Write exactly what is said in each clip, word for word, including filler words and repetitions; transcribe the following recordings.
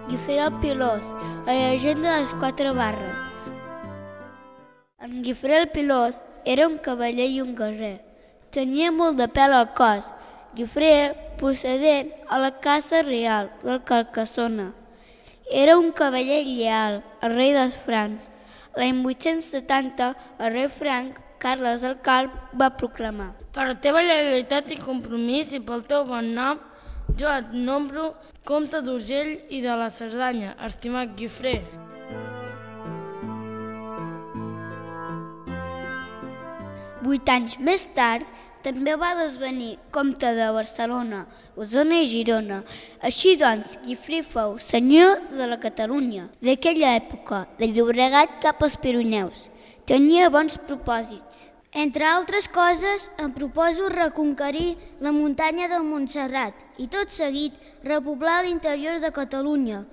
Guifré el Pilós, la llegenda de les quatre barres. En Guifré el Pilós era un cavaller i un guerrer. Tenia molt de pèl al cos. Guifré, procedent a la casa real del Carcassona. Era un cavaller lleal, el rei dels francs. L'any vuit-cents setanta, el rei franc, Carles el Calb, va proclamar: per la teva lleialtat i compromís i pel teu bon nom, jo et nombro comte d'Urgell i de la Cerdanya, estimat Guifré. Vuit anys més tard, també va desvenir comte de Barcelona, Osona i Girona. Així doncs, Guifré fou senyor de la Catalunya d'aquella època, de Llobregat cap als Pirineus. Tenia bons propòsits. Entre altres coses, em proposo reconquerir la muntanya del Montserrat i tot seguit repoblar l'interior de Catalunya.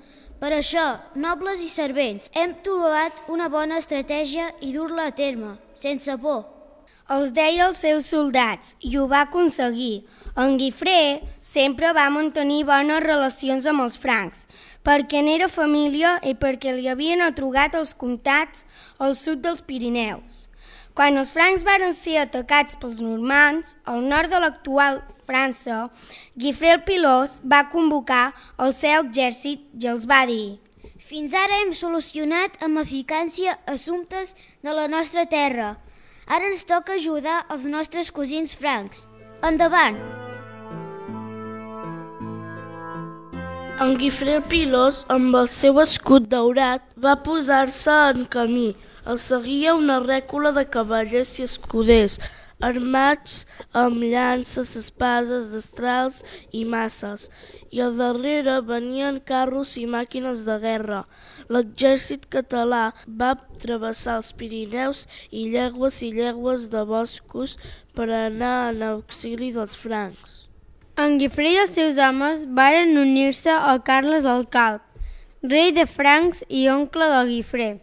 Per això, nobles i servents, hem trobat una bona estratègia i dur-la a terme, sense por. Els deia als seus soldats i ho va aconseguir. En Guifré sempre va mantenir bones relacions amb els francs, perquè n'era família i perquè li havien atorgat els comtats al sud dels Pirineus. Quan els francs varen ser atacats pels normands, al nord de l'actual França, Guifré el Pilós va convocar el seu exèrcit i els va dir: fins ara hem solucionat amb eficàcia assumptes de la nostra terra. Ara ens toca ajudar els nostres cosins francs. Endavant! En Guifré el Pilós, amb el seu escut daurat, va posar-se en camí. El seguia una rècula de cavallers i escuders, armats amb llances, espases, destrals i maces, i al darrere venien carros i màquines de guerra. L'exèrcit català va travessar els Pirineus i llegües i llegües de boscos per anar en auxili dels francs. En Guifré i els seus homes varen unir-se a Carles el Calb, rei de francs i oncle de Guifré.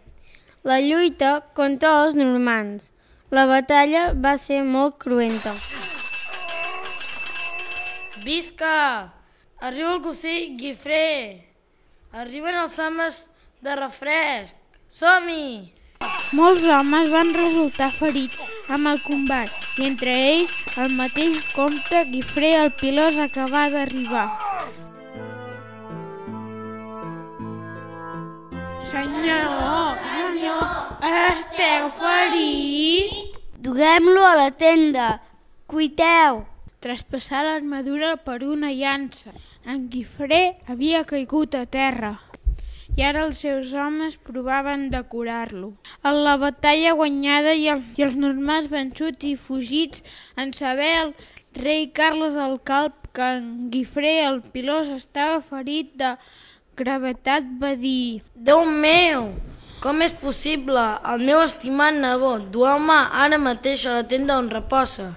La lluita contra els normands. La batalla va ser molt cruenta. Visca! Arriba el cosí Guifré! Arriben els homes de refresc! Som-hi! Molts homes van resultar ferits amb el combat i entre ells el mateix comte Guifré el Pilós acabà d'arribar. Senyor, senyor, esteu ferit? Duguem-lo a la tenda. Cuiteu. Traspassar l'armadura per una llança. En Guifré havia caigut a terra i ara els seus homes provaven de curar-lo. En la batalla guanyada i, el, i els normands vençuts i fugits, en saber el rei Carles el Calb que en Guifré el Pilós estava ferit de gravetat, va dir: Déu meu! Com és possible? El meu estimat nebot, dueu-me ara mateix a la tenda on reposa.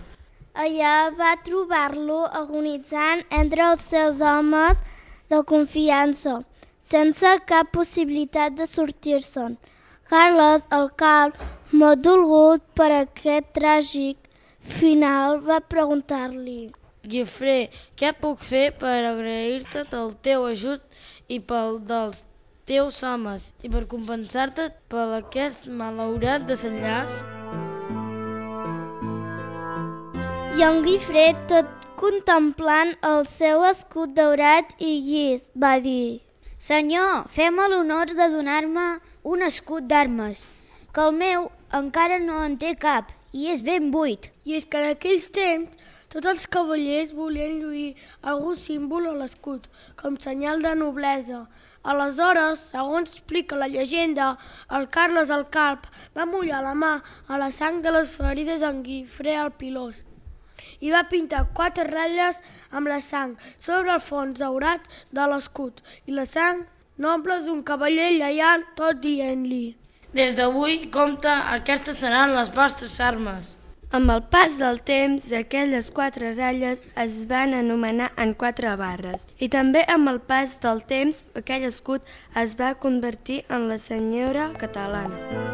Allà va trobar-lo agonitzant entre els seus homes de confiança, sense cap possibilitat de sortir-se'n. Carles el Calb, molt dolgut per aquest tràgic final, va preguntar-li: Guifré, què puc fer per agrair-te del teu ajut i pel dels teus homes i per compensar-te per aquest malaurat desenllaç? I en Guifré, tot contemplant el seu escut daurat i llis, va dir: Senyor, fem-me l'honor de donar-me un escut d'armes, que el meu encara no en té cap i és ben buit. I és que en aquells temps tots els cavallers volien lluir algun símbol a l'escut, com senyal de noblesa. Aleshores, segons explica la llegenda, el Carles el Calb va mullar la mà a la sang de les ferides en Guifré el Pilós i va pintar quatre ratlles amb la sang sobre el fons daurat de l'escut i la sang noble d'un cavaller lleial, tot dient-li: Des d'avui, compte, aquestes seran les vostres armes. Amb el pas del temps, aquelles quatre ratlles es van anomenar en quatre barres i també amb el pas del temps aquell escut es va convertir en la senyora catalana.